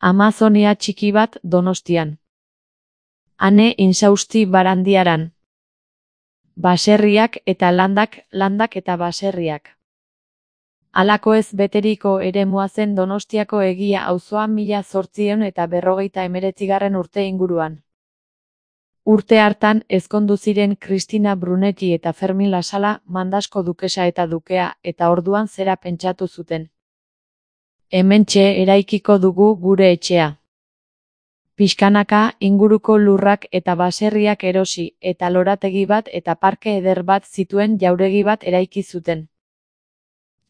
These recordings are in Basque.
Amazonia txiki bat Donostian. Ane insausti Barandiaran. Baserriak eta landak eta baserriak. Halako ez beteriko eremua zen Donostiako Egia auzoa 1849 urte inguruan. Urte hartan ezkondu ziren Kristina Brunetti eta Fermin Lasala, Mandasko dukesa eta dukea, eta orduan zera pentsatu zuten. Hementxe eraikiko dugu gure etxea. Pixkanaka inguruko lurrak eta baserriak erosi, eta lorategi bat eta parke eder bat zituen jauregi bat eraiki zuten.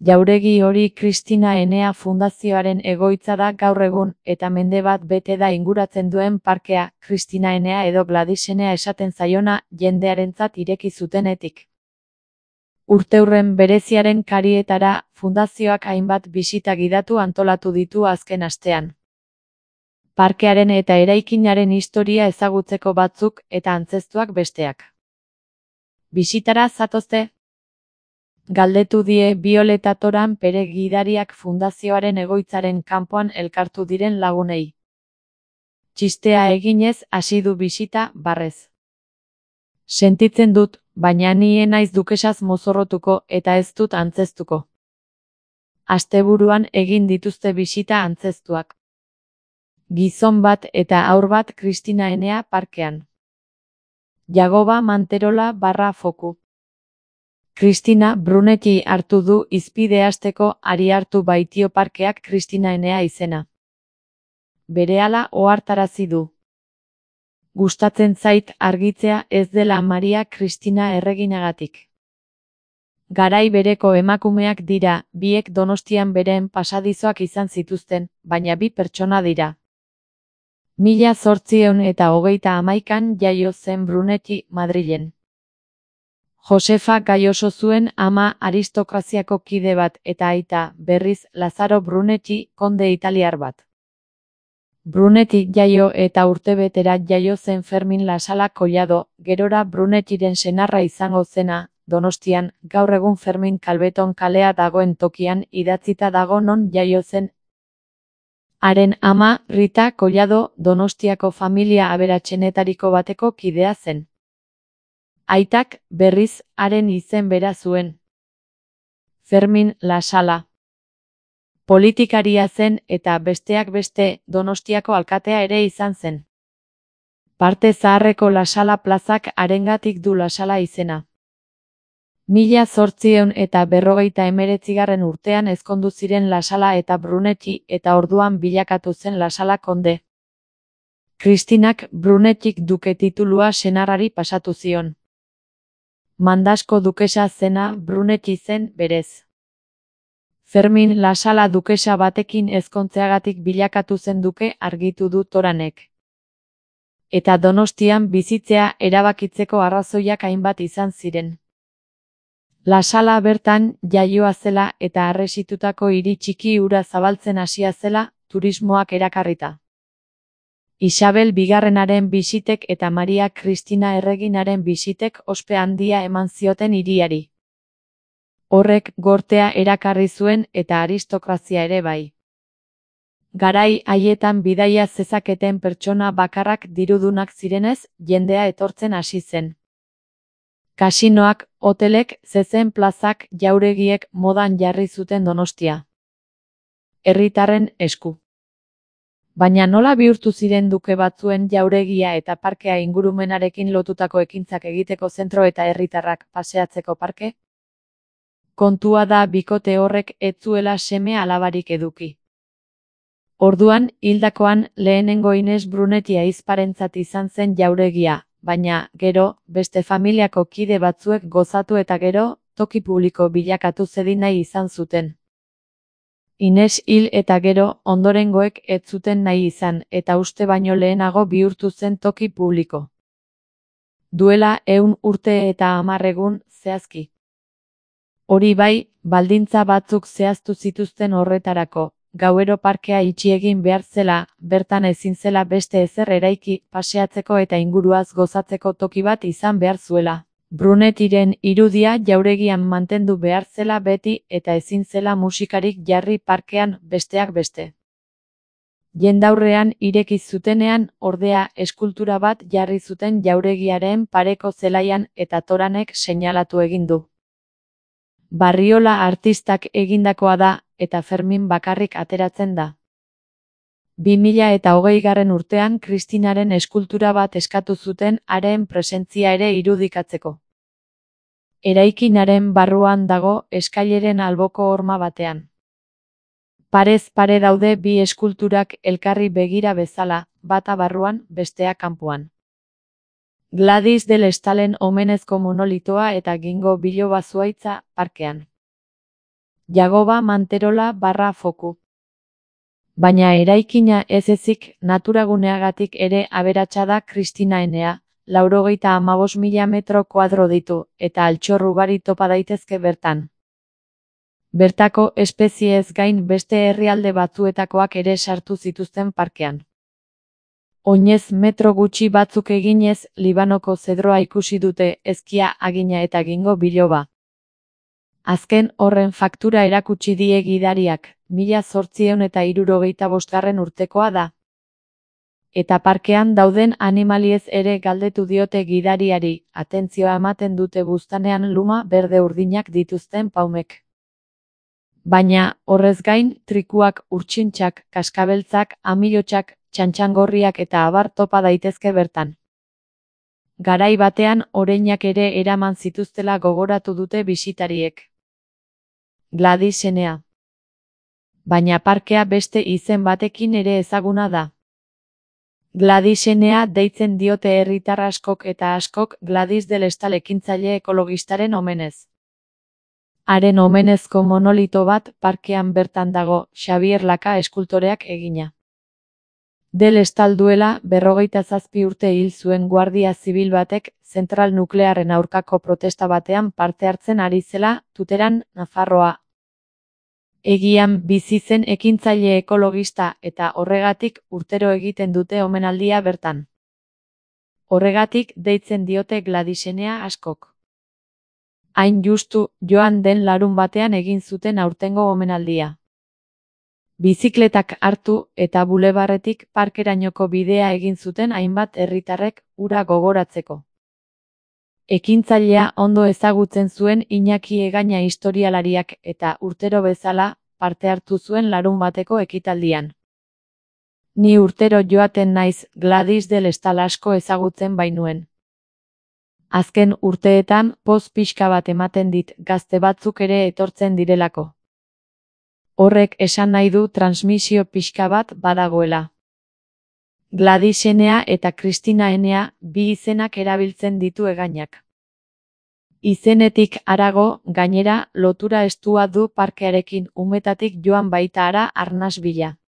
Jauregi hori Kristina Enea Fundazioaren egoitza da gaur egun, eta mende bat bete da inguratzen duen parkea, Kristina Enea edo Gladys Enea esaten zaiona, jendearentzat ireki zutenetik. Urteurren bereziaren karietara, fundazioak hainbat bisita gidatu antolatu ditu azken astean. Parkearen eta eraikinaren historia ezagutzeko batzuk eta antzeztuak besteak. Bisitara zatozte? Galdetu die Violeta Toran Pere gidariak fundazioaren egoitzaren kanpoan elkartu diren lagunei. Txistea eginez hasi du bisita barrez. Sentitzen dut, baina ni naiz dukesaz mozorrotuko eta ez dut antzeztuko. Asteburuan egin dituzte bisita antzeztuak. Gizon bat eta haur bat Kristina Enea parkean. Jagoba Manterola /foku. Kristina Brunetti hartu du izpide hasteko ari hartu baitio parkeak Kristina Enea izena. Berehala ohartarazi du. Gustatzen zait argitzea ez dela Maria Kristina erreginagatik. Garai bereko emakumeak dira, biek Donostian beren pasadizoak izan zituzten, baina bi pertsona dira. 1831an jaio zen Brunetti Madrilen. Josefa Gaioso zuen ama aristokraziako kide bat eta aita, berriz, Lazaro Brunetti, konde italiar bat. Brunetti jaio eta urtebetera jaio zen Fermin Lasala Collado, gerora Brunettiren senarra izango zena, Donostian, gaur egun Fermin Kalbeton kalea dagoen tokian idatzita dago non jaio zen. Haren ama, Rita Collado, Donostiako familia aberatsenetariko bateko kidea zen. Aitak, berriz, haren izen bera zuen. Fermin Lasala. Politikaria zen eta besteak beste Donostiako alkatea ere izan zen. Parte zaharreko Lasala plazak harengatik du Lasala izena. 1859 urtean ezkondu ziren Lasala eta Brunetti eta orduan bilakatu zen Lasala konde. Kristinak Brunettik duke titulua senarrari pasatu zion. Mandasko dukesa zena Brunetti zen berez. Fermin Lasala dukesa batekin ezkontzeagatik bilakatu zen duke argitu du Toranek. Eta Donostian bizitzea erabakitzeko arrazoiak hainbat izan ziren. Lasala bertan jaioa zela eta harresitutako hiri txiki hura zabaltzen hasia zela, turismoak erakarrita. Isabel bigarrenaren bisitek eta Maria Kristina erreginaren bisitek ospe handia eman zioten hiriari. Horrek gortea erakarri zuen eta aristokrazia ere bai. Garai haietan bidaia zezaketen pertsona bakarrak dirudunak zirenez, jendea etortzen hasi zen. Kasinoak, hotelek, zezen plazak, jauregiek modan jarri zuten Donostia. Herritarren esku. Baina nola bihurtu ziren duke batzuen jauregia eta parkea ingurumenarekin lotutako ekintzak egiteko zentro eta herritarrak paseatzeko parke? Kontua da bikote horrek ez zuela seme alabarik eduki. Orduan, hildakoan, lehenengo Ines Brunetti ahizparentzat izan zen jauregia, baina, gero, beste familiako kide batzuek gozatu eta gero, toki publiko bilakatu zedin nahi izan zuten. Ines hil eta gero, ondorengoek ez zuten nahi izan, eta uste baino lehenago bihurtu zen toki publiko. Duela 100 urte eta 10 egun, zehazki. Hori bai, baldintza batzuk zehaztu zituzten horretarako, gauero parkea itxi egin behar zela, bertan ezin zela beste ezer eraiki, paseatzeko eta inguruaz gozatzeko toki bat izan behar zuela. Brunettiren irudia jauregian mantendu behar zela beti eta ezin zela musikarik jarri parkean besteak beste. Jendaurrean ireki zutenean, ordea, eskultura bat jarri zuten jauregiaren pareko zelaian eta Toranek seinalatu egin du. Barriola artistak egindakoa da, eta Fermin bakarrik ateratzen da. 2020 urtean Kristinaren eskultura bat eskatu zuten haren presentzia ere irudikatzeko. Eraikinaren barruan dago eskaileren alboko horma batean. Parez pare daude bi eskulturak elkarri begira bezala, bata barruan, bestea kanpoan. Gladys del Estalen omenezko monolitoa eta Gingo biloba zuhaitza parkean. Jagoba Manterola barra foku. Baina eraikina ez ezik naturaguneagatik ere aberatsa da Kristinaenea, 95.000 metro kuadro ditu, eta altxor ugari topa daitezke bertan. Bertako espeziez gain beste herrialde batzuetakoak ere sartu zituzten parkean. Oinez metro gutxi batzuk eginez, Libanoko zedroa ikusi dute, ezkia agina eta Gingo biloba. Azken horren faktura erakutsi die gidariak, 1865 urtekoa da. Eta parkean dauden animaliez ere galdetu diote gidariari, atentzioa ematen dute buztanean luma berde urdinak dituzten paumek. Baina, horrez gain, trikuak, urtsintxak, kaskabeltzak, amilotxak, txantxangorriak eta abar topa daitezke bertan. Garai batean oreinak ere eraman zituztela gogoratu dute bisitariek. Gladysenea. Baina parkea beste izen batekin ere ezaguna da. Gladysenea deitzen diote herritar askok eta askok Gladys del Estal ekintzaile ekologistaren omenez. Haren omenezko monolito bat parkean bertan dago, Xabier Laka eskultoreak egina. Del Estal duela 57 urte hil zuen guardia zibil batek zentral nuklearren aurkako protesta batean parte hartzen ari zela, Tuteran, Nafarroa. Egian bizi zen ekintzaile ekologista eta horregatik urtero egiten dute omenaldia bertan. Horregatik deitzen diote Gladysenea askok. Hain justu, joan den larun batean egin zuten aurtengo omenaldia. Bizikletak hartu eta bulebarretik parkerainoko bidea egin zuten hainbat herritarrek hura gogoratzeko. Ekintzailea ondo ezagutzen zuen Iñaki Egaña historialariak eta urtero bezala parte hartu zuen larun bateko ekitaldian. Ni urtero joaten naiz Gladys del Estal asko ezagutzen bainuen. Azken urteetan poz pixka bat ematen dit gazte batzuk ere etortzen direlako. Horrek esan nahi du transmisio pixka bat badagoela. Gladysenea eta Kristinaenea bi izenak erabiltzen ditu Egañak. Izenetik harago, gainera, lotura estua du parkearekin umetatik joan baita hara arnas bila.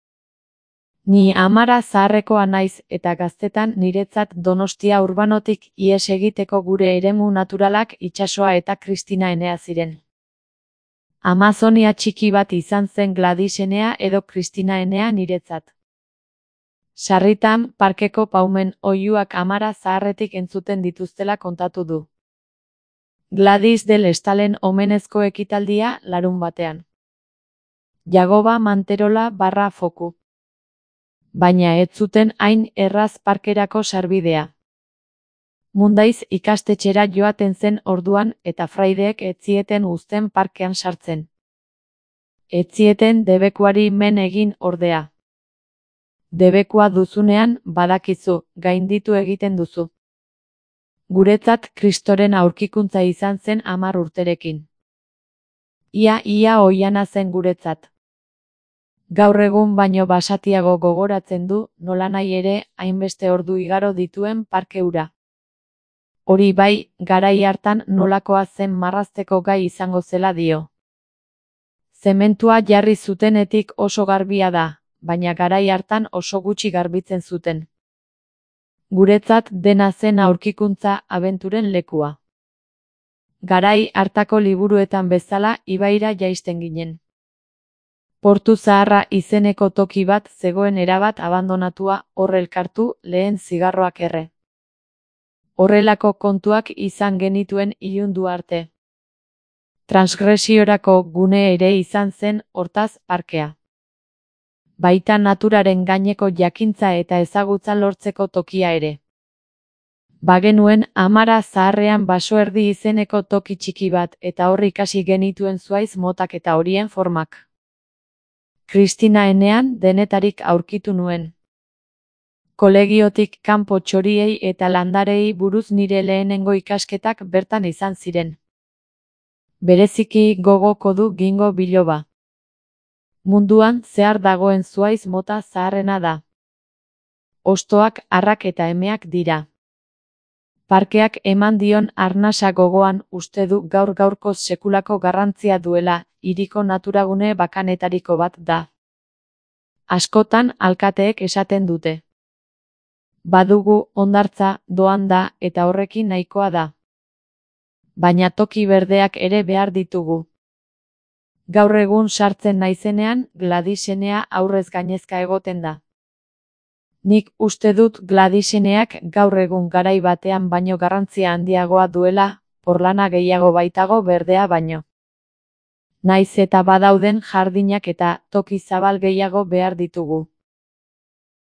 Ni Amara zaharrekoa naiz eta gaztetan niretzat Donostia urbanotik ihes egiteko gure eremu naturalak itsasoa eta Kristinaenea ziren. Amazonia txiki bat izan zen Gladysenea edo Kristinaenea niretzat. Sarritan, parkeko paumen oihuak Amara zaharretik entzuten dituztela kontatu du. Gladys del Estalen omenezko ekitaldia larun batean. Jagoba Manterola barra foku. Baina ez zuten hain erraz parkerako sarbidea. Mundaiz ikastetxera joaten zen orduan eta fraideek ez zieten uzten parkean sartzen. Ez zieten debekuari men egin ordea. Debekua duzunean, badakizu, gainditu egiten duzu. Guretzat Kristoren aurkikuntza izan zen 10 urterekin. Ia oihana zen guretzat. Gaur egun baino basatiago gogoratzen du, nolanahi ere, hainbeste ordu igaro dituen parke hura. Hori bai, garai hartan nolakoa zen marrazteko gai izango zela dio. Zementua jarri zutenetik oso garbia da, baina garai hartan oso gutxi garbitzen zuten. Guretzat dena zen aurkikuntza abenturen lekua. Garai hartako liburuetan bezala ibaira jaisten ginen. Portu Zaharra izeneko toki bat zegoen erabat abandonatua hor elkartu lehen zigarroak erre. Horrelako kontuak izan genituen ilundu arte. Transgresiorako gune ere izan zen hortaz parkea. baita naturaren gaineko jakintza eta ezagutza lortzeko tokia ere. Bagenuen Amara Zaharrean Basoerdi izeneko toki txiki bat eta hor ikasi genituen zuhaitz motak eta horien formak. Kristina enean denetarik aurkitu nuen. Kolegiotik kanpo txoriei eta landarei buruz nire lehenengo ikasketak bertan izan ziren. Bereziki gogoko du Gingo Biloba. Munduan zehar dagoen zuhaitz mota zaharrena da. Hostoak, arrak eta emeak dira. Parkeak eman dion arnasa gogoan uste du gaur-gaurkoz sekulako garrantzia duela, hiriko naturagune bakanetariko bat da. Askotan alkateek esaten dute. Badugu hondartza, doan da eta horrekin nahikoa da. Baina toki berdeak ere behar ditugu. Gaur egun sartzen naizenean, Gladisenea aurrez gainezka egoten da. Nik uste dut Gladiseneak gaur egun garai batean baino garrantzia handiagoa duela, porlana gehiago baitago berdea baino. Naiz eta badauden jardinak eta toki zabal gehiago behar ditugu.